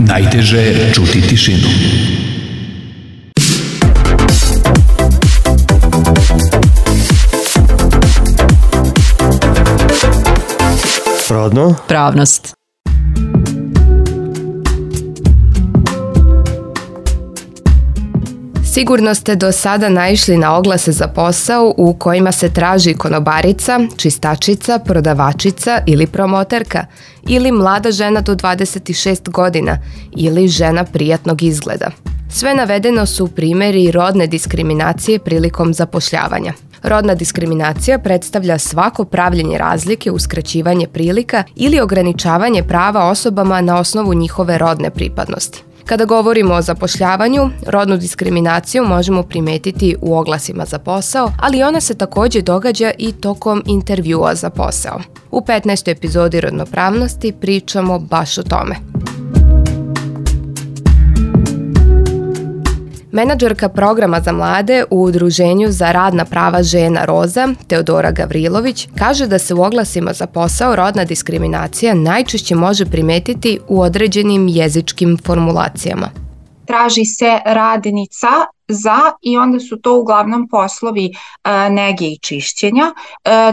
Najteže je čuti tišinu. Rodno? Pravnost. Sigurno ste do sada naišli na oglase za posao u kojima se traži konobarica, čistačica, prodavačica ili promoterka, ili mlada žena do 26 godina, ili žena prijatnog izgleda. Sve navedeno su primjeri rodne diskriminacije prilikom zapošljavanja. Rodna diskriminacija predstavlja svako pravljenje razlike, uskraćivanje prilika ili ograničavanje prava osobama na osnovu njihove rodne pripadnosti. Kada govorimo o zapošljavanju, rodnu diskriminaciju možemo primetiti u oglasima za posao, ali ona se također događa i tokom intervjua za posao. U 15. epizodi Rodnopravnosti pričamo baš o tome. Menadžerka programa za mlade u Udruženju za radna prava žena Roza, Teodora Gavrilović, kaže da se u oglasima za posao rodna diskriminacija najčešće može primetiti u određenim jezičkim formulacijama. Traži se radnica za i onda su to uglavnom poslovi nege i čišćenja,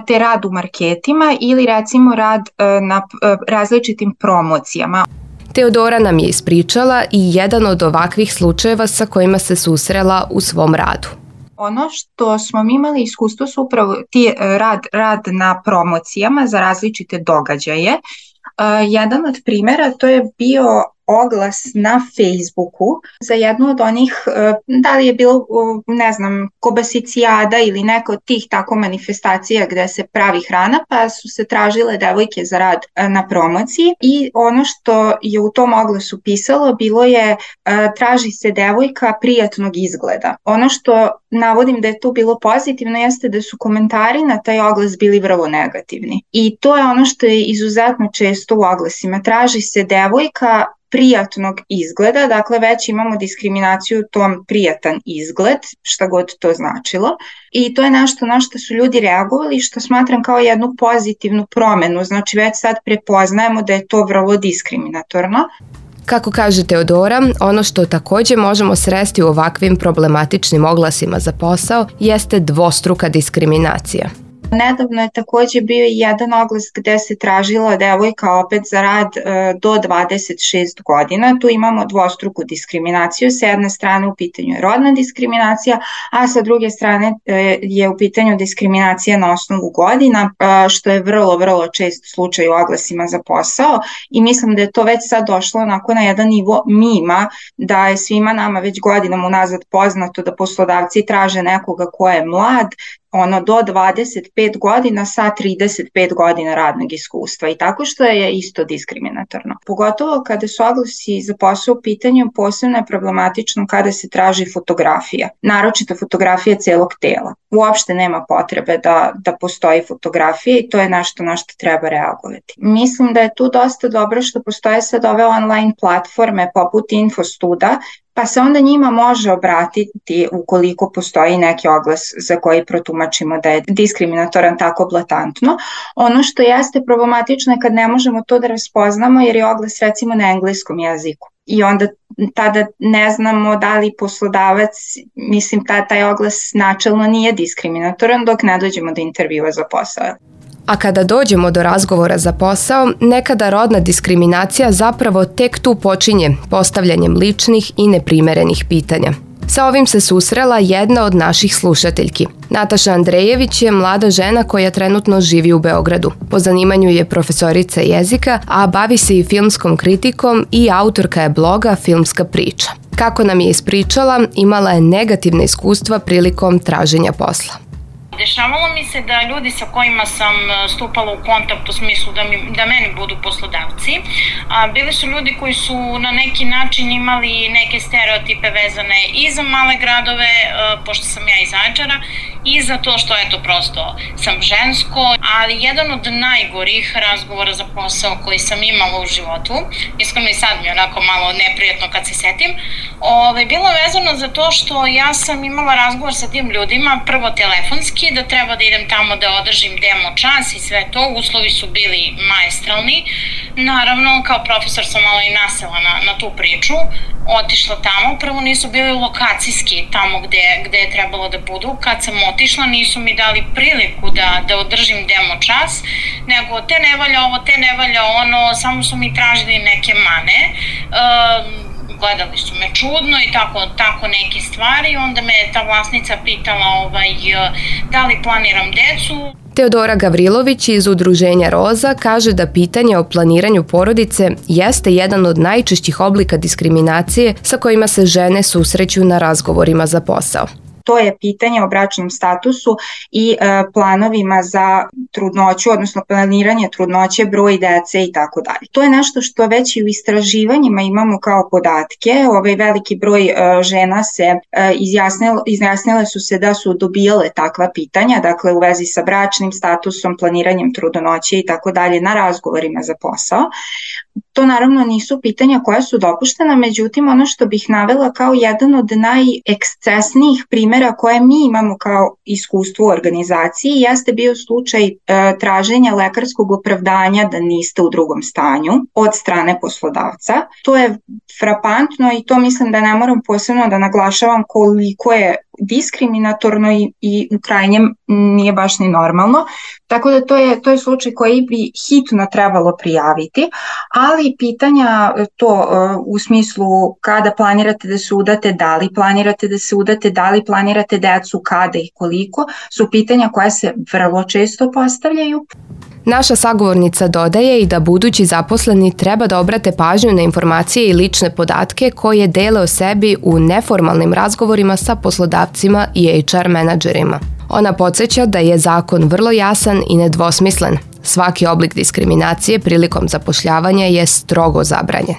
te rad u marketima ili recimo rad na različitim promocijama. Teodora nam je ispričala i jedan od ovakvih slučajeva sa kojima se susrela u svom radu. Ono što smo mi imali iskustvo su upravo rad na promocijama za različite događaje. Jedan od primjera to je bio oglas na Facebooku za jednu od onih, da li je bilo, ne znam, kobasicijada ili neka od tih tako manifestacija gde se pravi hrana, pa su se tražile devojke za rad na promociji i ono što je u tom oglasu pisalo bilo je traži se devojka prijatnog izgleda. Ono što navodim da je tu bilo pozitivno jeste da su komentari na taj oglas bili vrlo negativni. I to je ono što je izuzetno često u oglasima. Traži se devojka prijatnog izgleda, dakle već imamo diskriminaciju u tom prijatan izgled, šta god to značilo. I to je nešto na što su ljudi reagovali, što smatram kao jednu pozitivnu promenu, znači već sad prepoznajemo da je to vrlo diskriminatorno. Kako kaže Teodora, ono što također možemo sresti u ovakvim problematičnim oglasima za posao jeste dvostruka diskriminacija. Nedavno je također bio i jedan oglas gde se tražila devojka opet za rad do 26 godina. Tu imamo dvostruku diskriminaciju. Sa jedne strane u pitanju je rodna diskriminacija, a sa druge strane je u pitanju diskriminacija na osnovu godina, što je vrlo, vrlo čest slučaj u oglasima za posao. I mislim da je to već sad došlo onako na jedan nivo mima, da je svima nama već godinama unazad poznato da poslodavci traže nekoga ko je mlad, do 25 godina sa 35 godina radnog iskustva i tako što je isto diskriminatorno. Pogotovo kada su oglasi za posao u pitanju, posebno je problematično kada se traži fotografija, naročito fotografija celog tela. Uopšte nema potrebe da postoji fotografija i to je nešto na što treba reagovati. Mislim da je tu dosta dobro što postoje sad ove online platforme poput Infostuda, pa se onda njima može obratiti ukoliko postoji neki oglas za koji protumačimo da je diskriminatoran tako blatantno. Ono što jeste problematično je kad ne možemo to da raspoznamo jer je oglas recimo na engleskom jeziku. I onda tada ne znamo da li poslodavac, mislim taj oglas načelno nije diskriminatoran dok ne dođemo do intervjua za posao. A kada dođemo do razgovora za posao, nekada rodna diskriminacija zapravo tek tu počinje postavljanjem ličnih i neprimerenih pitanja. Sa ovim se susrela jedna od naših slušateljki. Nataša Andrejević je mlada žena koja trenutno živi u Beogradu. Po zanimanju je profesorica jezika, a bavi se i filmskom kritikom i autorka je bloga Filmska priča. Kako nam je ispričala, imala je negativne iskustva prilikom traženja posla. Dešavalo mi se da ljudi sa kojima sam stupala u kontakt u smislu da meni budu poslodavci, bili su ljudi koji su na neki način imali neke stereotipe vezane i za male gradove, pošto sam ja iz Zaječara, i za to što eto prosto sam žensko, ali jedan od najgorih razgovora za posao koji sam imala u životu, iskreno i sad mi je onako malo neprijatno kad se setim, bilo vezano za to što ja sam imala razgovor sa tim ljudima, prvo telefonski, podatke, da treba da idem tamo da održim demo čas i sve to, uslovi su bili maestralni. Naravno, kao profesor sam malo i nasela na tu priču, otišla tamo, prvo nisu bili lokacijski tamo gde je trebalo da budu, kad sam otišla nisu mi dali priliku da održim demo čas, nego te ne valja ovo, te ne valja ono, samo su mi tražili neke mane, gledali su me čudno i tako neke stvari, onda me ta vlasnica pitala da li planiram decu. Teodora Gavrilović iz Udruženja Roza kaže da pitanje o planiranju porodice jeste jedan od najčešćih oblika diskriminacije sa kojima se žene susreću na razgovorima za posao. To je pitanje o bračnom statusu i planovima za trudnoću, odnosno planiranje trudnoće, broj dece i tako dalje. To je nešto što već i u istraživanjima imamo kao podatke. Veliki broj žena se izjasnile su se da su dobijale takva pitanja, dakle u vezi sa bračnim statusom, planiranjem trudnoće i tako dalje na razgovorima za posao. To naravno nisu pitanja koja su dopuštena, međutim ono što bih navela kao jedan od najekscesnijih primjera koje mi imamo kao iskustvo u organizaciji jeste bio slučaj traženja lekarskog opravdanja da niste u drugom stanju od strane poslodavca. To je frapantno i to mislim da ne moram posebno da naglašavam koliko je diskriminatorno i u krajnjem nije baš ni normalno. Tako da to je slučaj koji bi hitno trebalo prijaviti, ali pitanja to u smislu kada planirate da se udate, da li planirate da se udate, da li planirate decu, kada i koliko, su pitanja koja se vrlo često postavljaju. Naša sagovornica dodaje i da budući zaposleni treba da obrate pažnju na informacije i lične podatke koje dele o sebi u neformalnim razgovorima sa poslodavcima i HR menadžerima. Ona podsjeća da je zakon vrlo jasan i nedvosmislen. Svaki oblik diskriminacije prilikom zapošljavanja je strogo zabranjen.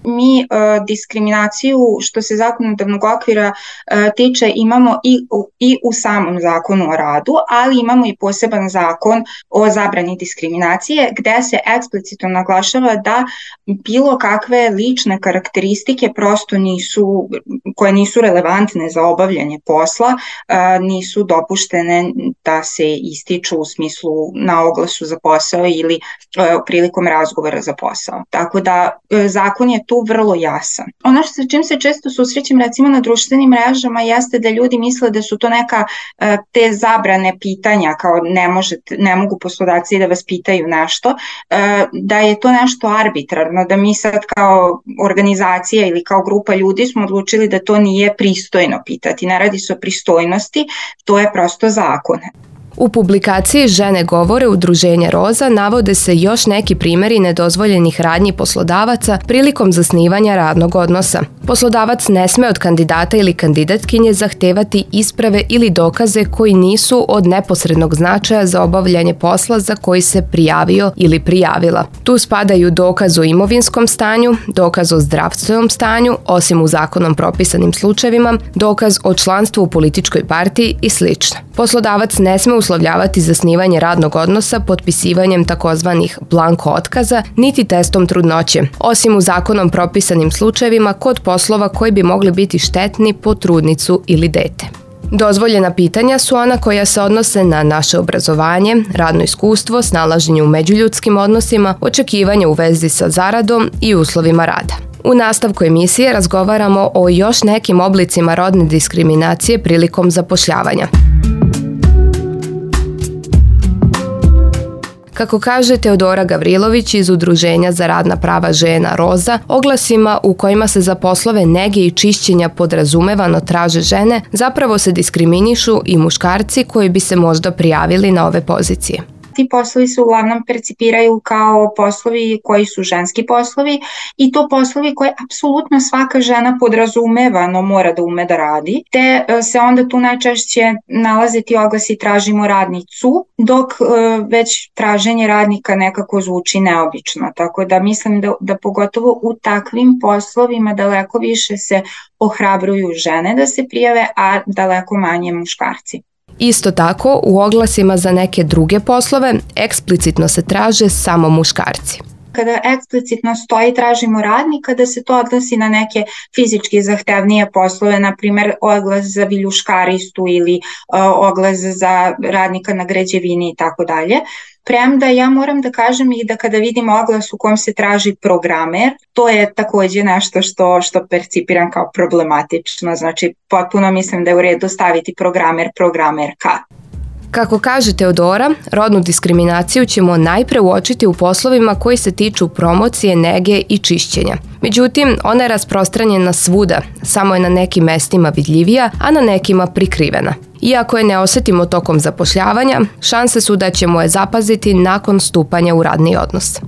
Mi diskriminaciju što se zakonodavnog okvira tiče imamo i u samom zakonu o radu, ali imamo i poseban zakon o zabrani diskriminacije gde se eksplicitno naglašava da bilo kakve lične karakteristike prosto koje nisu relevantne za obavljanje posla, nisu dopuštene da se ističu u smislu na oglasu za posao ili prilikom razgovora za posao. Tako da zakon je tu vrlo jasan. Ono sa čim se često susrećem recimo na društvenim mrežama jeste da ljudi misle da su to neka te zabrane pitanja, kao ne mogu poslodavci da vas pitaju nešto, da je to nešto arbitrarno, da mi sad kao organizacija ili kao grupa ljudi smo odlučili da to nije pristojno pitati. Ne radi se o pristojnosti, to je prosto zakon. U publikaciji Žene govore Udruženja Roza navode se još neki primjeri nedozvoljenih radnji poslodavaca prilikom zasnivanja radnog odnosa. Poslodavac ne sme od kandidata ili kandidatkinje zahtevati isprave ili dokaze koji nisu od neposrednog značaja za obavljanje posla za koji se prijavio ili prijavila. Tu spadaju dokaz o imovinskom stanju, dokaz o zdravstvenom stanju, osim u zakonom propisanim slučajevima, dokaz o članstvu u političkoj partiji i sl. Poslodavac ne sme uslovljavati zasnivanje radnog odnosa potpisivanjem takozvanih blanko otkaza niti testom trudnoće, osim u zakonom propisanim slučajevima kod poslova koji bi mogli biti štetni po trudnicu ili dete. Dozvoljena pitanja su ona koja se odnose na naše obrazovanje, radno iskustvo, snalaženje u međuljudskim odnosima, očekivanje u vezi sa zaradom i uslovima rada. U nastavku emisije razgovaramo o još nekim oblicima rodne diskriminacije prilikom zapošljavanja. Kako kaže Teodora Gavrilović iz Udruženja za radna prava žena Roza, oglasima u kojima se za poslove nege i čišćenja podrazumevano traže žene, zapravo se diskriminišu i muškarci koji bi se možda prijavili na ove pozicije. Ti poslovi se uglavnom percipiraju kao poslovi koji su ženski poslovi i to poslovi koje apsolutno svaka žena podrazumevano mora da ume da radi, te se onda tu najčešće nalaze ti oglasi tražimo radnicu, dok već traženje radnika nekako zvuči neobično. Tako da mislim da pogotovo u takvim poslovima daleko više se ohrabruju žene da se prijave, a daleko manje muškarci. Isto tako, u oglasima za neke druge poslove eksplicitno se traže samo muškarci. Kada eksplicitno stoji tražimo radnika, da se to odnosi na neke fizički zahtevnije poslove, na primjer oglas za viljuškaristu ili oglas za radnika na građevini i tako dalje. Premda ja moram da kažem i da kada vidim oglas u kom se traži programer, to je takođe nešto što percipiram kao problematično, znači potpuno mislim da je u redu staviti programerka. Kako kaže Teodora, rodnu diskriminaciju ćemo najpre uočiti u poslovima koji se tiču promocije, nege i čišćenja. Međutim, ona je rasprostranjena svuda, samo je na nekim mestima vidljivija, a na nekima prikrivena. Iako je ne osetimo tokom zapošljavanja, šanse su da ćemo je zapaziti nakon stupanja u radni odnos.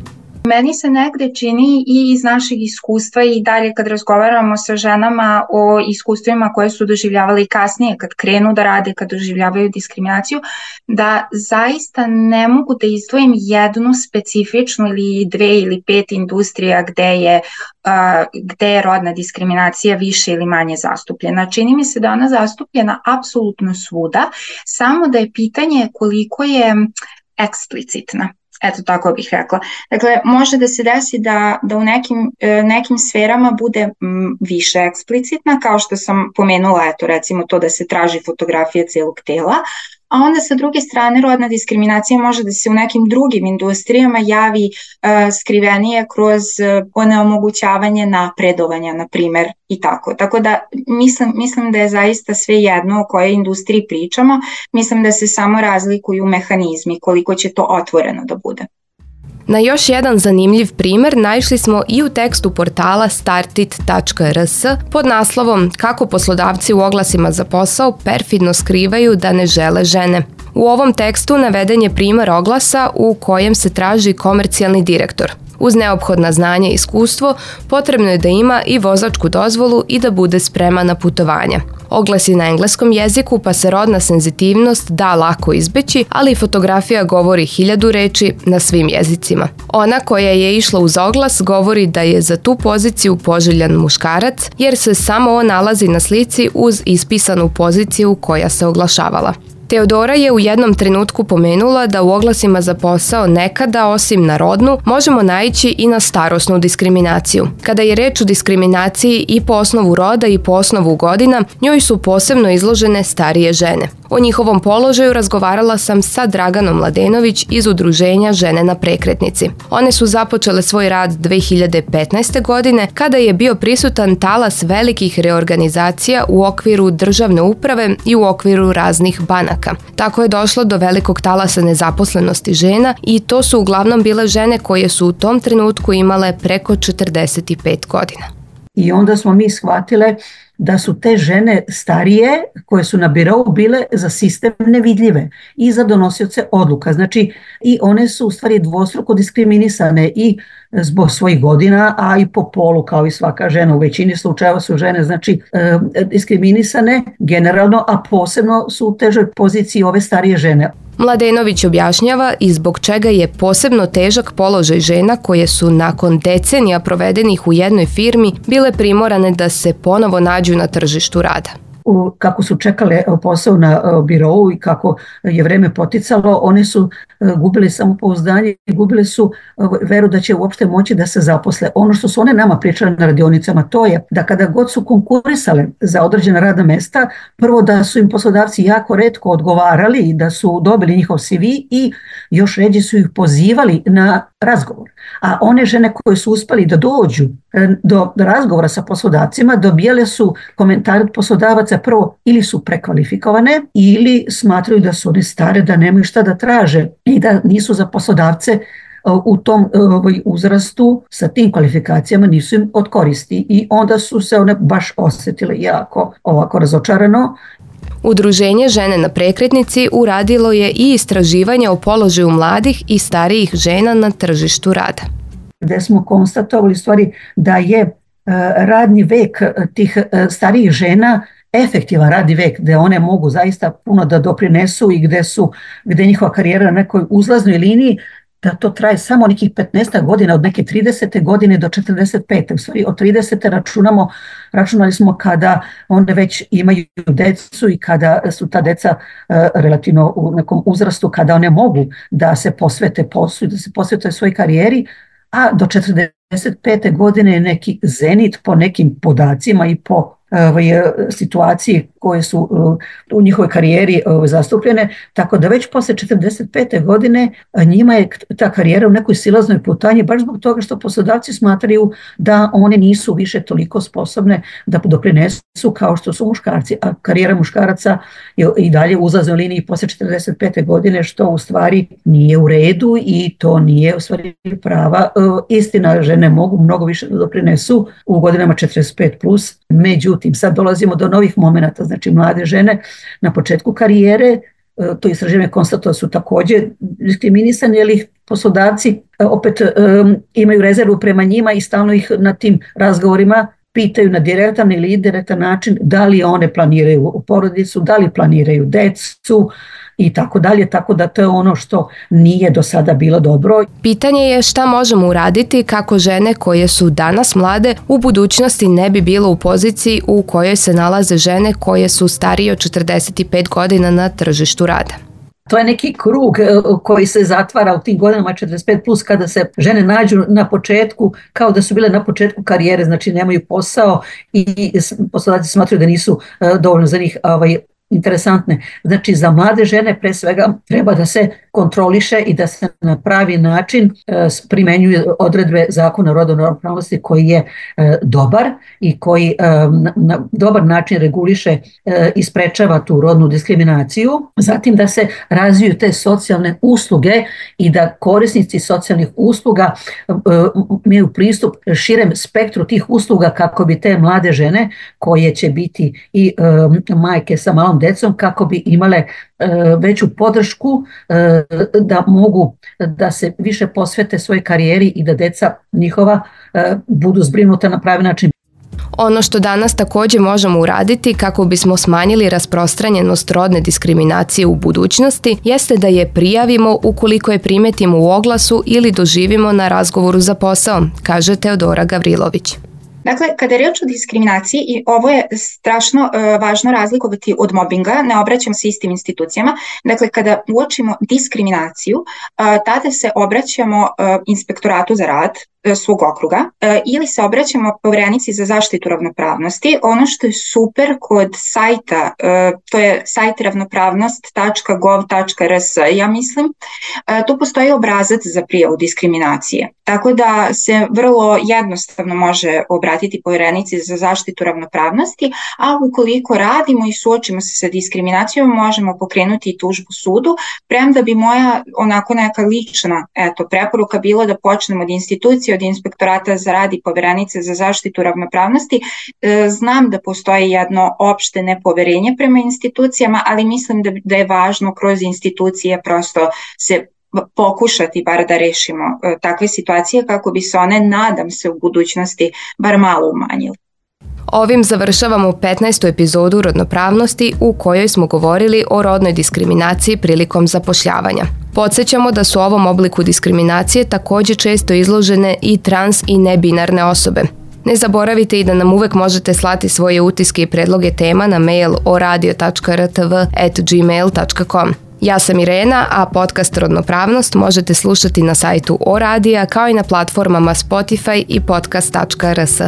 Meni se negde čini i iz našeg iskustva i dalje kad razgovaramo sa ženama o iskustvima koje su doživljavale i kasnije kad krenu da rade, kad doživljavaju diskriminaciju, da zaista ne mogu da izdvojim jednu specifičnu ili 2 ili 5 industrija gde je rodna diskriminacija više ili manje zastupljena. Čini mi se da ona zastupljena apsolutno svuda, samo da je pitanje koliko je eksplicitna. Eto, tako bih rekla. Dakle, može da se desi da u nekim sferama bude više eksplicitna, kao što sam pomenula, eto, recimo to da se traži fotografija celog tela, a onda sa druge strane rodna diskriminacija može da se u nekim drugim industrijama javi skrivenije kroz onemogućavanje napredovanja, na primer, i tako. Tako da mislim da je zaista sve jedno o kojoj industriji pričamo, mislim da se samo razlikuju mehanizmi, koliko će to otvoreno da bude. Na još jedan zanimljiv primer naišli smo i u tekstu portala startit.rs pod naslovom Kako poslodavci u oglasima za posao perfidno skrivaju da ne žele žene. U ovom tekstu naveden je primer oglasa u kojem se traži komercijalni direktor. Uz neophodna znanja i iskustvo, potrebno je da ima i vozačku dozvolu i da bude spreman na putovanja. Oglas je na engleskom jeziku, pa se rodna senzitivnost da lako izbeći, ali i fotografija govori 1000 reči na svim jezicima. Ona koja je išla uz oglas govori da je za tu poziciju poželjan muškarac, jer se samo on nalazi na slici uz ispisanu poziciju koja se oglašavala. Teodora je u jednom trenutku pomenula da u oglasima za posao nekada, osim na rodnu, možemo naići i na starosnu diskriminaciju. Kada je reč o diskriminaciji i po osnovu roda i po osnovu godina, njoj su posebno izložene starije žene. O njihovom položaju razgovarala sam sa Draganom Mladenović iz udruženja Žene na prekretnici. One su započele svoj rad 2015. godine kada je bio prisutan talas velikih reorganizacija u okviru državne uprave i u okviru raznih banaka. Tako je došlo do velikog talasa nezaposlenosti žena i to su uglavnom bile žene koje su u tom trenutku imale preko 45 godina. I onda smo mi shvatile da su te žene starije koje su na birou bile za sistem nevidljive i za donosioce odluka. Znači i one su u stvari dvostruko diskriminisane i zbog svojih godina, a i po polu kao i svaka žena. U većini slučajeva su žene znači diskriminisane generalno, a posebno su u težoj poziciji ove starije žene. Mladenović objašnjava i zbog čega je posebno težak položaj žena koje su nakon decenija provedenih u jednoj firmi bile primorane da se ponovo nađu na tržištu rada. Kako su čekale posao na birou i kako je vreme poticalo, one su gubile samopouzdanje i gubile su veru da će uopšte moći da se zaposle. Ono što su one nama pričale na radionicama, to je da kada god su konkurisale za određena radna mesta, prvo da su im poslodavci jako retko odgovarali i da su dobili njihov CV i još ređe su ih pozivali na razgovor. A one žene koje su uspeli da dođu do razgovora sa poslodavcima dobijale su komentare od poslodavaca prvo ili su prekvalifikovane ili smatraju da su one stare, da nemaju šta da traže i da nisu za poslodavce u tom uzrastu sa tim kvalifikacijama nisu im od koristi i onda su se one baš osjetile jako ovako razočarano. Udruženje Žene na prekretnici uradilo je i istraživanje o položaju mladih i starijih žena na tržištu rada. Gde smo konstatovali stvari da je radni vek tih starijih žena efektivan radni vek, gde one mogu zaista puno da doprinesu i gde njihova karijera na nekoj uzlaznoj liniji, da to traje samo nekih 15 godina, od neke 30. godine do 45. U stvari od 30. računali smo kada one već imaju decu i kada su ta deca relativno u nekom uzrastu, kada one mogu da se posvete poslu i da se posvete svojoj karijeri, a do 45. godine je neki zenit po nekim podacima i po situaciji koje su u njihovoj karijeri zastupljene, tako da već posle 45. godine njima je ta karijera u nekoj silaznoj putanji, baš zbog toga što poslodavci smatraju da one nisu više toliko sposobne da doprinesu kao što su muškarci, a karijera muškaraca je i dalje u uzlaznoj liniji posle 45. godine, što u stvari nije u redu i to nije u stvari prava. Istina, žene mogu mnogo više da doprinesu u godinama 45+, međutim, sad dolazimo do novih momenata, znači mlade žene na početku karijere, to istraživanje konstatovalo su također diskriminisani, jer ih poslodavci opet imaju rezervu prema njima i stalno ih na tim razgovorima pitaju na direktan ili indirektan način da li one planiraju porodicu, da li planiraju decu i tako dalje, tako da to je ono što nije do sada bilo dobro. Pitanje je šta možemo uraditi kako žene koje su danas mlade u budućnosti ne bi bilo u poziciji u kojoj se nalaze žene koje su starije od 45 godina na tržištu rada. To je neki krug koji se zatvara u tim godinama 45+, kada se žene nađu na početku, kao da su bile na početku karijere, znači nemaju posao i poslodavci smatraju da nisu dovoljno za njih interesantne. Znači za mlade žene pre svega treba da se kontroliše i da se na pravi način primenjuje odredbe Zakona o rodnoj ravnopravnosti koji je dobar i koji na dobar način reguliše i sprečava tu rodnu diskriminaciju. Zatim da se razviju te socijalne usluge i da korisnici socijalnih usluga imaju pristup širem spektru tih usluga kako bi te mlade žene koje će biti i majke sa malom decom, kako bi imale veću podršku da mogu da se više posvete svojoj karijeri i da deca njihova budu zbrinuta na pravi način. Ono što danas također možemo uraditi kako bismo smanjili rasprostranjenost rodne diskriminacije u budućnosti jeste da je prijavimo ukoliko je primetimo u oglasu ili doživimo na razgovoru za posao, kaže Teodora Gavrilović. Dakle, kada je riječ o diskriminaciji, i ovo je strašno važno razlikovati od mobinga, ne obraćamo se istim institucijama. Dakle, kada uočimo diskriminaciju, tada se obraćamo inspektoratu za rad svog okruga ili se obraćamo Poverenici za zaštitu ravnopravnosti. Ono što je super kod sajta, to je sajt ravnopravnost.gov.rs, ja mislim, tu postoji obrazac za prijavu diskriminacije. Tako da se vrlo jednostavno može obratiti Poverenici za zaštitu ravnopravnosti, a ukoliko radimo i suočimo se sa diskriminacijom, možemo pokrenuti i tužbu sudu, premda bi moja onako neka lična preporuka bila da počnemo od institucije, od inspektorata za rad i Poverenice za zaštitu ravnopravnosti. Znam da postoji jedno opšte nepoverenje prema institucijama, ali mislim da je važno kroz institucije prosto se pokušati bar da rešimo takve situacije kako bi se one, nadam se, u budućnosti bar malo umanjile. Ovim završavamo 15. epizodu Rodnopravnosti u kojoj smo govorili o rodnoj diskriminaciji prilikom zapošljavanja. Podsjećamo da su ovom obliku diskriminacije također često izložene i trans i nebinarne osobe. Ne zaboravite i da nam uvek možete slati svoje utiske i predloge tema na mail oradio.rtv@gmail.com. Ja sam Irena, a podcast Rodnopravnost možete slušati na sajtu Oradija kao i na platformama Spotify i podcast.rs.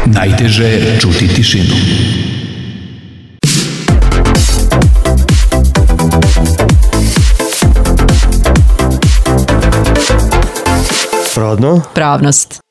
Najteže je čuti tišinu. Rodnopravnost.